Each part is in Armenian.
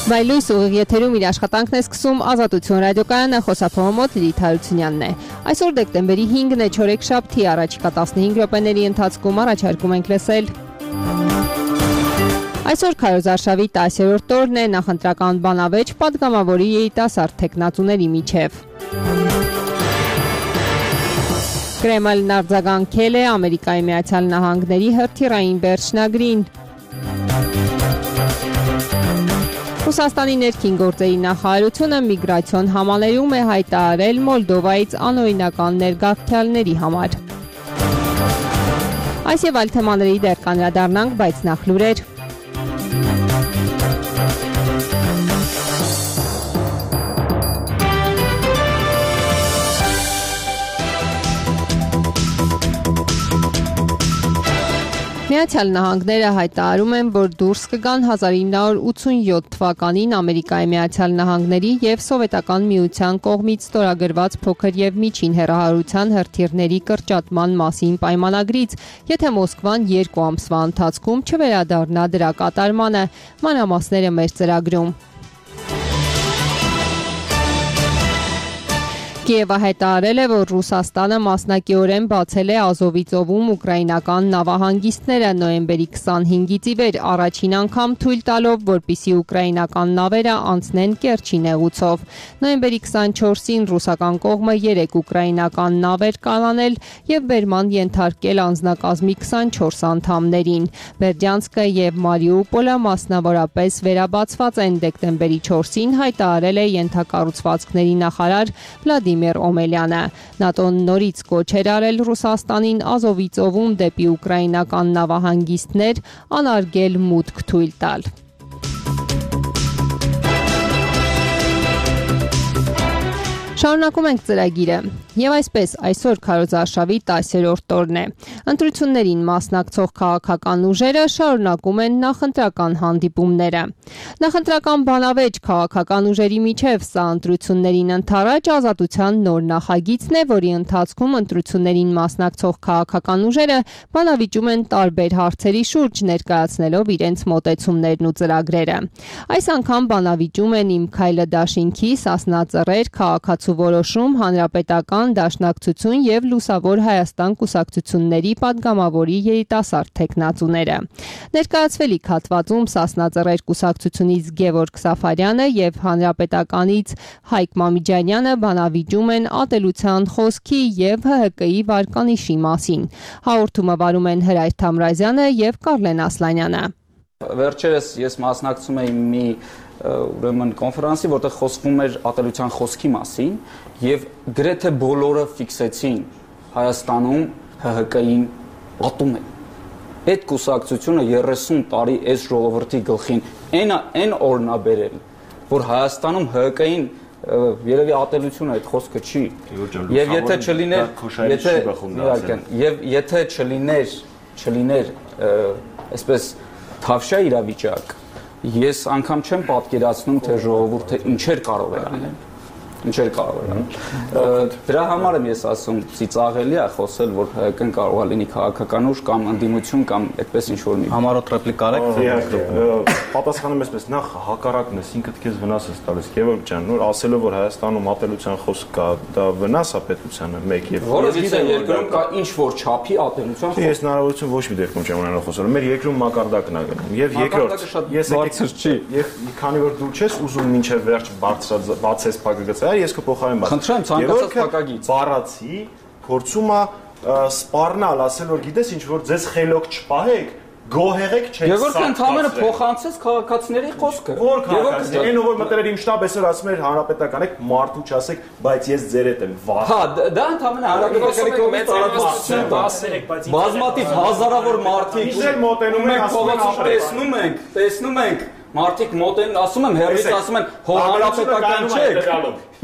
Վայլույս ուղիղ եթերում իր աշխատանքն է սկսում Ազատություն ռադիոկայանը, խոսափողը մոտ Լիլիթ Հարությունյանն է։ Այսօր դեկտեմբերի 5-ն է, չորեքշաբթի, առաջիկա 15 րոպեների ընթացքում առաջարկում ենք լսել։ Այսօր Քարոզ արշավի 10-րդ օրն է, նախընտրական բանավեճ պատգամավորի երիտասարդ թեկնածուների միջև։ Կրեմլն արձագանքել է Ամերիկայի Միացյալ Նահանգների հրթիռային վերջնագրին։ Ռուսաստանի ներքին գործերի նախարարությունը միգրացիոն համալրում է հայտարարել Մոլդովայից անօրինական ներգաղթյալների համար։ Այս եւ այլ թեմաների դեռ կանդրադառնանք, բայց նախ լուրեր։ Միացյալ Նահանգները հայտարարում են, որ դուրս կգան 1987 թվականին Ամերիկայի Միացյալ Նահանգների եւ Սովետական Միության կողմից ստորագրված փոքր եւ միջին հեռահարության հրթիռների կրճատման մասին պայմանագրից, եթե Մոսկվան 2 ամսվա ընթացքում չվերադառնա դրա կատարմանը։ Մանրամասները մեր ծրագրում։ Կիևը հայտարարել է, որ Ռուսաստանը մասնակիորեն բացել է Ազովի ծովում ուկրաինական նավահանգիստները նոյեմբերի 25-ից ի վեր առաջին անգամ թույլ տալով, որպեսզի ուկրաինական նավերը անցնեն Կերչի նեղուցով։ Նոյեմբերի 24-ին ռուսական կողմը 3 ուկրաինական նավեր կանանել եւ բերման ենթարկել անձնակազմի 24 անդամներին։ Բերդյանսկը եւ Մարիուպոլը մասնավորապես վերաբացված են, դեկտեմբերի 4-ին հայտարարել է ենթակառուցվածքների նախարար Վլադիմիր Օմելյանը։ ՆԱՏՕ-ն նորից կոչ էր արել Ռուսաստանին Ազովի ծովում դեպի ուկրաինական նավահանգիստներ անարգել մուտք թույլ տալ։ Շարունակում ենք ծրագիրը։ Եվ այսպես, այսօր Քարոզ արշավի 10-րդ օրն է։ Ընտրություններին մասնակցող քաղաքական ուժերը շարունակում են նախընտրական հանդիպումները։ Նախընտրական բանավեճ քաղաքական ուժերի միջև սա ընտրություններին ընդառաջ ազատության նոր նախագիծն է, որի ընթացքում ընտրություններին մասնակցող քաղաքական ուժերը բանավիճում են տարբեր հարցերի շուրջ, ներկայացնելով իրենց մոտեցումներն ու ծրագրերը։ Այս անգամ բանավիճում են Իմ քայլը դաշինքի, Սասնա Ծռեր, Քաղաքացու որոշում, Հանրապետական Դաշնակցություն եւ Լուսավոր Հայաստան կուսակցությունների падգամավորի երիտասարդ թեկնածուները։ Ներկայացվելիք հատվածում Սասնա Ծռեր կուսակցությունից Գևորգ Սաֆարյանը եւ Հանրապետականից Հայկ Մամիջանյանը բանավիճում են ատելության խոսքի եւ ՀՀԿ-ի վարկանիշի մասին։ Հաղորդումը վարում են Հրայր Թամրազյանը եւ Կարլեն Ասլանյանը։ Վերջերս ես մասնակցում էի մի ուրեմն կոնֆերանսի, որտեղ խոսվում էր ատելության խոսքի մասին եւ գրեթե բոլորը ֆիքսեցին Հայաստանում ՀՀԿ-ին ատում է։ Այդ կուսակցությունը 30 տարի այս ժողովրդի գլխին այն օրնաբերել, որ Հայաստանում ՀՀԿ-ին երևի ատելությունը այդ խոսքը չի։ Եվ եթե չլիներ այսպես թավշյա իրավիճակ, ես անգամ չեմ պատկերացնում, թե ժողովուրդը ինչեր կարող է անել։ Դրա համար եմ ես ասում, ծիծաղելի է խոսել, որ ՀՀԿ-ն կարող է լինի քաղաքական ուժ կամ ընդդիմություն կամ այդպես ինչ-որ մի համառոտ ռեպլիկա արեք։ Պատասխանում եմ այսպես, նախ հակառակն ես, ինքդ քեզ վնաս ես տալիս, Գևորգ ջան, նոր ասելով, որ Հայաստանում ատելության խոսք կա, դա վնաս է պետությանը, մեկ եւ որովհետեւ երկրում կա ինչ-որ չափի ատելության խոսք։ Ես հնարավորություն ոչ մի դեպքում չեմ ունենալ խոսելու։ Մեր երկրում մակարդակն է գնում։ Եվ երկրորդ, ես բարձր չի։ Եվ քանի որ դու չես ուզում մինչև վերջ բացես փակագծը, ես կփոխարեն բաց։ Խնդրեմ, ցանկացած փակագիծ։ Բառացի փորձում է սպառնալ, ասել որ գիտես ինչ որ ձեզ խելոք չպահեք, գոհեղեք չեք։ Գևորգ ընդհանրապես փոխանցեց քաղաքացիների խոսքը։ Որ քաղաքացի, այն ով մտել իմ շտաբ այսօր ասում էր հանրապետական եք, մարդու չասեք, բայց ես ձեր հետ եմ վախ։ Հա, դա ընդհանրապես հանրապետականի կողմից տարածություն տա։ Բազմաթիվ հազարավոր մարդիկ Իզել մոտենում են, տեսնում ենք մարդիկ մոտեն, ասում եմ, հերրից ասում են, հո հանրապետական չեք։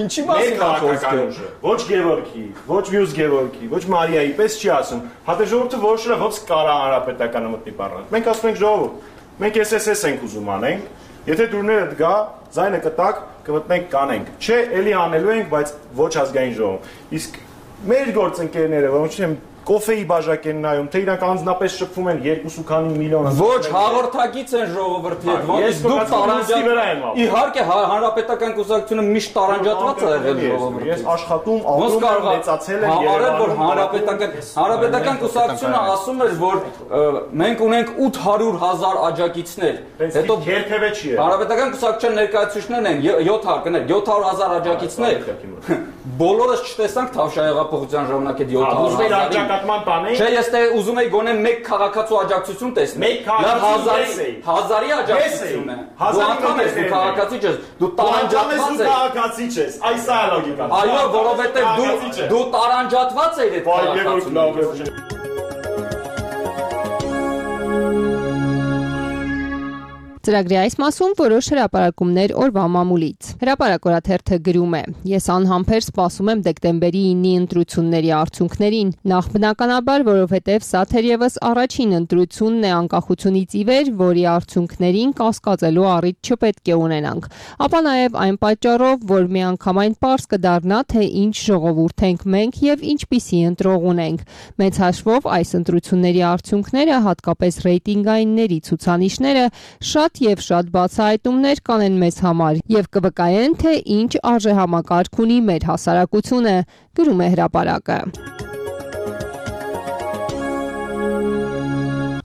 Ինչի մասին է խոսքը։ Ոչ Գևորգի, ոչ մյուս Գևորգի, ոչ Մարիայի, պես չի ասում։ Հատե ժողովուրդը որոշել է ոնց կարա հանրապետականը մտնի պարլամենտ։ Մենք ասում ենք ժողովուրդ, մենք SSS ենք ուզում անենք, եթե դուրներդ գա, ձայնը կտակ, կմտնենք կանենք։ Չէ, էլի անելու ենք, բայց ոչ ազգային ժողով։ Իսկ մեր գործընկերները, որոնք չեմ կոֆեի բաժակ են նայում, թե իրանք անձնապես շփվում են 2 քանի միլիոն։ Ոչ, հաղորդակից են ժողովրդի հետ, ոնց դուք տարանջատվում։ Իհարկե, հանրապետական կուսակցությունը միշտ տարանջատված է եղել ժողովրդի։ Ես աշխատում, ապրում եմ, մեծացել եմ Երևանում։ Որ հանրապետական կուսակցությունը ասում էր, որ մենք ունենք 800,000 աջակիցներ։ Հետո երբևէ չի եղել։ Հանրապետական կուսակցության ներկայացուցիչներն են 700,000 աջակիցներ։ Բոլորս չտեսանք Թավշյա հեղափոխության ժամանակ այդ 700,000 Չէ, ես ուզում եի գոնե մեկ քաղաքացու աջակցություն տեսնել։ Հազարի աջակցություն է։ Դու անդամ ես, դու քաղաքացի չես, դու տարանջատված ես։ Քաղաքացի չես։ Այս է լոգիկան։ Այո, որովհետև դու տարանջատված ես այդ քաղաքացու։ Ծրագրի այս մասում որոշ հրապարակումներ օրվա մամուլից։ Հրապարակորաթերթը գրում է. Ես անհամբեր սպասում եմ դեկտեմբերի 9-ի ընտրությունների արդյունքներին, նախ բնականաբար, որովհետև սա թերևս առաջին ընտրությունն է անկախությունից ի վեր, որի արդյունքներին կասկածելու առիթ չպետք է ունենանք, ապա նաև այն պատճառով, որ միանգամայն պարզ կդառնա, թե ինչ ժողովուրդ ենք մենք եւ ինչպիսի ընտրող ունենք։ Մեծ հաշվով այս ընտրությունների արդյունքները, հատկապես ռեյտինգայինների ցուցանիշները, շատ բացահայտումներ կանեն մեզ համար եւ կվկայեն, թե ինչ արժեհամակարգ ունի մեր հասարակությունը, գրում է հրապարակը։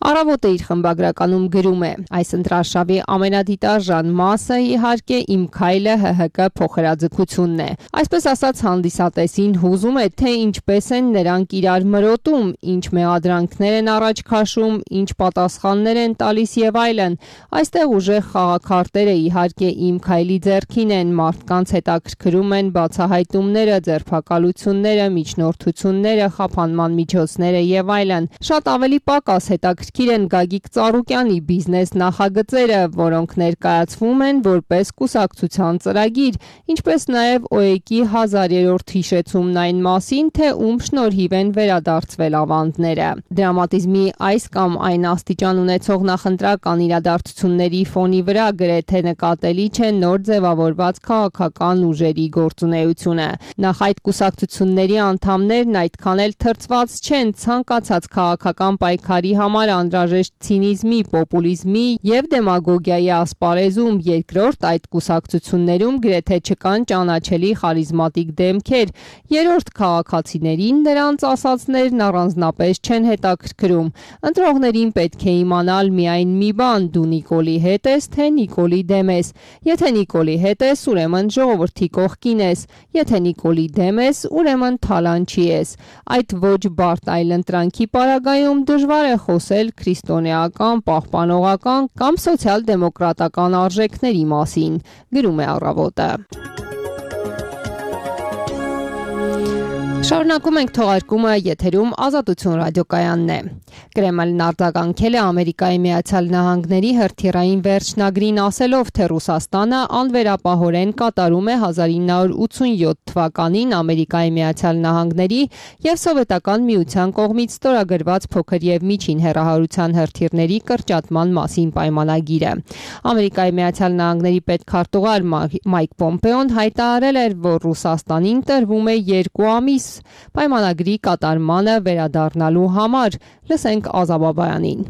Առավոտը իր խմբագրականում գրում է. այս ընտրարշավի ամենադիտարժան մասը իհարկե իմ քայլը ՀՀԿ փոխհրաձգությունն է։ Այսպես ասած հանդիսատեսին հուզում է, թե ինչպես են նրանք իրար մրոտում, ինչ մեղադրանքներ են առաջ քաշում, ինչ պատասխաններ են տալիս եւ այլն։ Այստեղ ուժեղ խաղաքարտերը իհարկե իմ քայլի ձեռքին են, մարդկանց հետաքրքրում են բացահայտումները, ձերբակալությունները, միջնորդությունները, խափանման միջոցները եւ այլն։ Շատ ավելի պակաս հետաքրքիր են Գագիկ Ծառուկյանի բիզնես նախագծերը, որոնք ներկայացվում են որպես կուսակցության ծրագիր, ինչպես նաև ՕԵԿ-ի 1000-րդ հիշեցումն այն մասին, թե ում շնորհիվ են վերադարձվել ավանդները։ Դրամատիզմի այս կամ այն աստիճան ունեցող նախընտրական իրադարձությունների ֆոնի վրա գրեթե նկատելի չէ նոր ձևավորված քաղաքական ուժերի գործունեությունը։ Նախ այդ կուսակցությունների անդամներն այդքան էլ թրծված չեն ցանկացած քաղաքական պայքարի համար անհրաժեշտ ցինիզմի, պոպուլիզմի եւ դեմագոգիայի ասպարեզում, երկրորդ այդ կուսակցություններում գրեթե չկան ճանաչելի խարիզմատիկ դեմքեր, երրորդ քաղաքացիներին նրանց ասածներն առանձնապես չեն հետաքրքրում։ Ընտրողներին պետք է իմանալ միայն մի բան՝ դու Նիկոլի հետ ես, թե Նիկոլի դեմ ես։ Եթե Նիկոլի հետ ես, ուրեմն ժողովրդի կողքին ես, եթե Նիկոլի դեմ ես, ուրեմն թալանչի ես։ Այդ ոչ բարդ այլընտրանքի պարագայում դժվար է խոսել քրիստոնեական, պահպանողական կամ սոցիալ-դեմոկրատական արժեքների մասին, գրում է Առավոտը։ Շարունակում ենք թողարկումը, եթերում Ազատություն ռադիոկայանն է։ Կրեմլն արձագանքել է Ամերիկայի Միացյալ Նահանգների հրթիռային վերջնագրին ասելով, թե Ռուսաստանը անվերապահորեն կատարում է 1987 թվականին Ամերիկայի Միացյալ Նահանգների եւ Սովետական Միության կողմից ստորագրված փոքր եւ միջին հեռահարության հրթիռների կրճատման մասին պայմանագիրը։ Ամերիկայի Միացյալ Նահանգների պետքարտուղար Մայք Պոմպեոն հայտարարել էր, որ Ռուսաստանին տրվում է 2 ամիս պայմանագրի կատարմանը վերադառնալու համար։ Լսենք Ազաբաբայանին։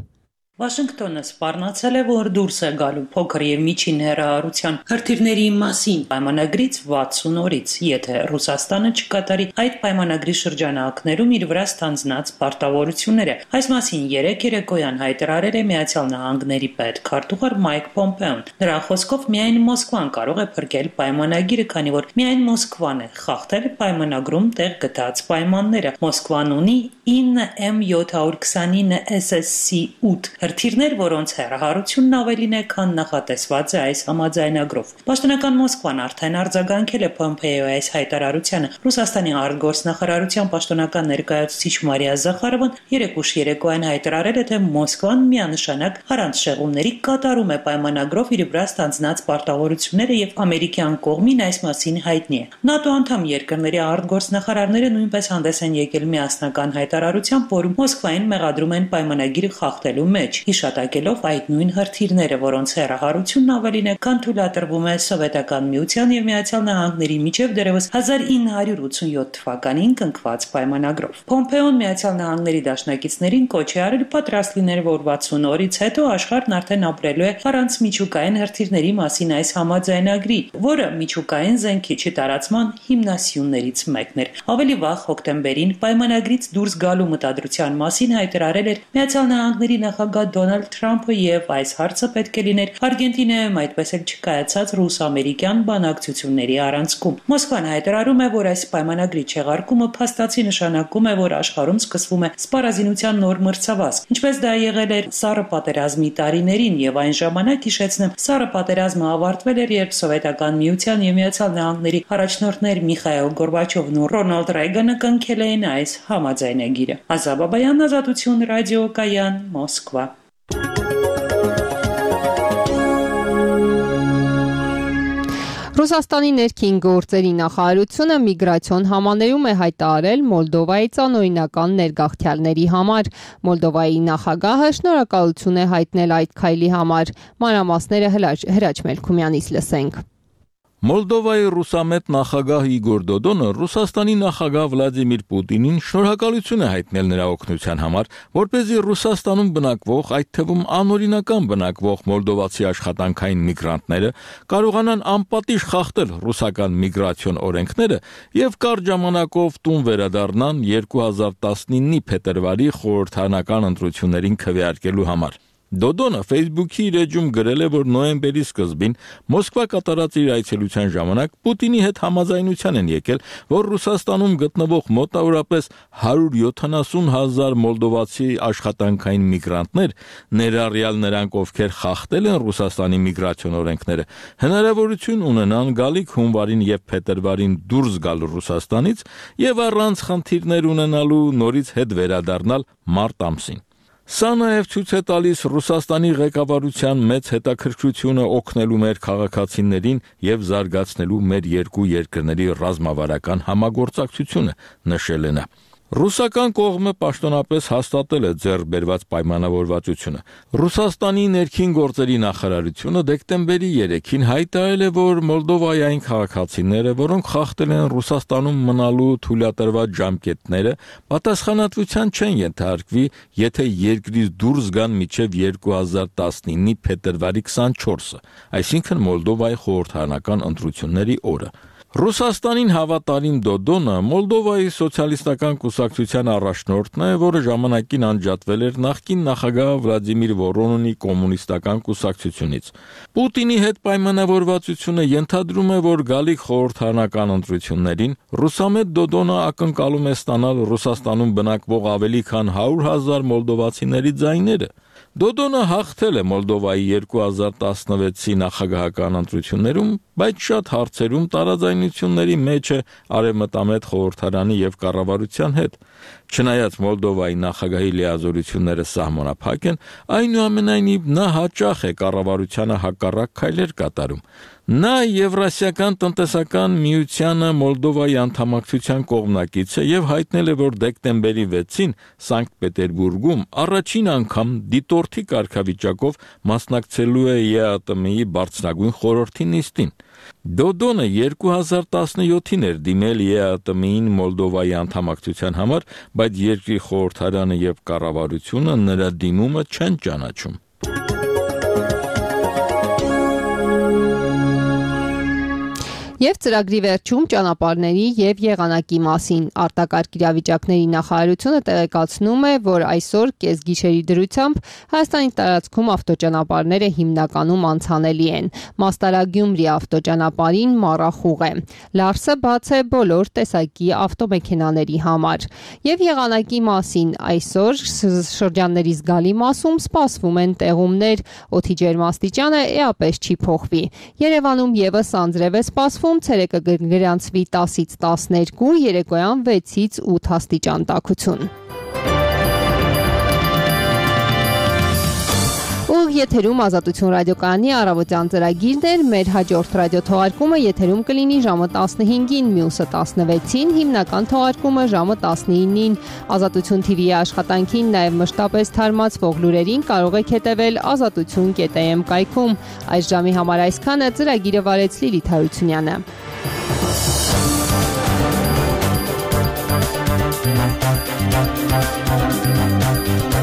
Վաշինգտոնը սպառնացել է, որ դուրս է գալու փոքր եւ միջին հեռահարության հրթիռների մասին պայմանագրից 60 օրից, եթե Ռուսաստանը չկատարի այդ պայմանագրի շրջանակներում իր վրա ստանձնած պարտավորությունները։ Այս մասին երեկոյան հայտարարել է Միացյալ Նահանգների պետքարտուղար Մայք Պոմպեոն։ Նրա խոսքով միայն Մոսկվան կարող է փրկել պայմանագիրը, քանի որ միայն Մոսկվան է խախտել պայմանագրում տեղ գտած պայմանները։ Մոսկվան ունի 9 M729 SSC-8 հրթիռներ, որոնց հեռահարությունն ավելին է, քան նախատեսված է այս համաձայնագրով։ Պաշտոնական Մոսկվան արդեն արձագանքել է Պոմպեոյի այս հայտարարությանը։ Ռուսաստանի արտգործնախարարության պաշտոնական ներկայացուցիչ Մարիա Զախարովան երեկոյան հայտարարել է, թե Մոսկվան միանշանակ առանց շեղումների կատարում է պայմանագրով իր վրա ստանձնած պարտավորությունները եւ ամերիկյան կողմին այս մասին հայտնի է։ ՆԱՏՕ անդամ երկրների արտգործնախարարները նույնպես հանդես են եկել միասնական հայտարարությամբ, որում Մոսկվային մեղադրում են պայմանագիրը խախտելու մեջ։ մեջ, հիշատակելով այդ նույն հրթիռները, որոնց հեռահարությունն ավելին է, քան թույլատրվում է Սովետական Միության եւ Միացյալ Նահանգների միջև դեռևս 1987 թվականին կնքված պայմանագրով։ Պոմպեոն Միացյալ Նահանգների դաշնակիցներին կոչ է արել պատրաստ լինել, որ 60 օրից հետո աշխարհն արդեն ապրելու է առանց միջուկային հրթիռների մասին այս համաձայնագրի, որը միջուկային զենքի տարածման հիմնասյուններից մեկն էր։ Ավելի վաղ հոկտեմբերին պայմանագրից դուրս գալու մտադրության մասին հայտարարել էր Միացյալ Նահանգների նախագահ Դոնալդ Թրամփը եւ այս հարցը պետք է լիներ Արգենտինայում այդպես էլ չկայացած ռուս-ամերիկյան բանակցությունների առանցքում։ Մոսկվան հայտարարում է, որ այս պայմանագրի չեղարկումը փաստացի նշանակում է, որ աշխարհում սկսվում է սպառազինության նոր մրցավազք, ինչպես դա եղել էր Սառը պատերազմի տարիներին, եւ այն ժամանակ հիշեցնեմ, Սառը պատերազմը ավարտվել էր, երբ Սովետական Միության եւ Միացյալ Նահանգների առաջնորդներ Միխայիլ Գորբաչովն ու Ռոնալդ Ռեյգանը կնքել էին այս համաձայնագիրը։ Ազատ Բաբայան, Ազատություն ռադիոկայան, Մոսկվա։ Ռուսաստանի ներքին գործերի նախարարությունը միգրացիոն համաներում է հայտարարել Մոլդովայի անօրինական ներգաղթյալների համար։ Մոլդովայի նախագահը շնորհակալություն է հայտնել այդ քայլի համար։ Մանրամասները Հրաչ Մելքումյանից լսենք։ Մոլդովայի ռուսամետ նախագահ Իգոր Դոդոնը Ռուսաստանի նախագահ Վլադիմիր Պուտինին շնորհակալություն է հայտնել նրա օգնության համար, որպեսզի Ռուսաստանում բնակվող, այդ թվում անօրինական բնակվող մոլդովացի աշխատանքային միգրանտները կարողանան անպատիժ խախտել ռուսական միգրացիոն օրենքները եւ կարճ ժամանակով տուն վերադառնան 2019-ի փետրվարի խորհրդարանական ընտրություններին քվեարկելու համար։ Դոդոնը Facebook-ի իր էջում գրել է, որ նոյեմբերի սկզբին Մոսկվա կատարած իր այցելության ժամանակ Պուտինի հետ համաձայնության են եկել, որ Ռուսաստանում գտնվող մոտավորապես 170,000 մոլդովացի աշխատանքային միգրանտներ, ներառյալ նրանք, ովքեր խախտել են Ռուսաստանի միգրացիոն օրենքները, հնարավորություն ունենան գալիք հունվարին եւ փետրվարին դուրս գալ Ռուսաստանից եւ առանց խնդիրներ ունենալու նորից հետ վերադառնալ մարտ ամսին։ Սա նաև ցույց է տալիս Ռուսաստանի ղեկավարության մեծ հետաքրքրությունը օգնելու մեր քաղաքացիներին եւ զարգացնելու մեր երկու երկրների ռազմավարական համագործակցությունը, նշել է նա։ Ռուսական կողմը պաշտոնապես հաստատել է ձեռքբերված պայմանավորվածությունը։ Ռուսաստանի ներքին գործերի նախարարությունը դեկտեմբերի 3-ին հայտարարել է, որ Մոլդովայի այն քաղաքացիները, որոնք խախտել են Ռուսաստանում մնալու թույլատրված ժամկետները, պատասխանատվության չեն ենթարկվի, եթե երկրից դուրս գան մինչև 2019-ի փետրվարի 24-ը, այսինքն Մոլդովայի խորհրդարանական ընտրությունների օրը։ Ռուսաստանին հավատարիմ Դոդոնը Մոլդովայի սոցիալիստական կուսակցության առաջնորդն է, որը ժամանակին անջատվել էր նախկին նախագահ Վլադիմիր Վորոնինի կոմունիստական կուսակցությունից։ Պուտինի հետ պայմանավորվածությունը ենթադրում է, որ գալիք խորհրդարանական ընտրություններին ռուսամետ Դոդոնը ակնկալում է ստանալ Ռուսաստանում բնակվող ավելի քան 100,000 մոլդովացիների ձայները։ Դոդոնը հաղթել է Մոլդովայի 2016-ի նախագահական ընտրություններում, բայց շատ հարցերում տարաձայնությունների մեջ է արևմտամետ խորհրդարանի եւ կառավարության հետ։ Չնայած Մոլդովայի նախագահի լիազորությունները սահմանափակ են, այնուամենայնիվ նա հաճախ է կառավարությանը հակառակ քայլեր կատարում։ Նա Եվրասիական տնտեսական միությանը Մոլդովայի անդամակցության կողմնակից է եւ հայտնել է, որ դեկտեմբերի 6-ին Սանկտ Պետերբուրգում առաջին անգամ դիտորդի կարգավիճակով մասնակցելու է ԵԱՏՄ-ի բարձրագույն խորհրդի նիստին։ Դոդոնը 2017-ին էր դիմել ԵԱՏՄ-ին Մոլդովայի անդամակցության համար, բայց երկրի խորհրդարանը եւ կառավարությունը նրա դիմումը չեն ճանաչում։ Եվ ծրագրի վերջում ճանապարհների եւ եղանակի մասին արտակարգ իրավիճակների նախարարությունը տեղեկացնում է, որ այսօր կեսգիշերի դրությամբ Հայաստանի տարածքում ավտոճանապարհները հիմնականում անցանելի են։ Մաստարագյումրի ավտոճանապարհին մառախուղ է։ Լարսը բաց է բոլոր տեսակի ավտոմեքենաների համար։ Եվ եղանակի մասին այսօր շրջանների զգալի մասում սպասվում են տեղումներ, օդի ջերմաստիճանը էապես չի փոխվի։ Երևանում եւս անձրև է սպասվում, ցերեկը գրանցվի 10-ից 12, երեկոյան 6-ից 8 աստիճան տաքություն։ եթերում Ազատություն ռադիոկայանի առավոտյան ծրագիրն էր, մեր հաջորդ ռադիոթողարկումը եթերում կլինի ժամը 15-ին, մյուսը 16-ին, հիմնական թողարկումը ժամը 19-ին։ Ազատություն TV-ի աշխատանքին նաև մշտապես թարմացվող լուրերին կարող եք հետևել azatutun.am կայքում։ Այս ժամի համար այսքանը, ծրագիրը վարեց Լիլիթ Հարությունյանը։ Thank you.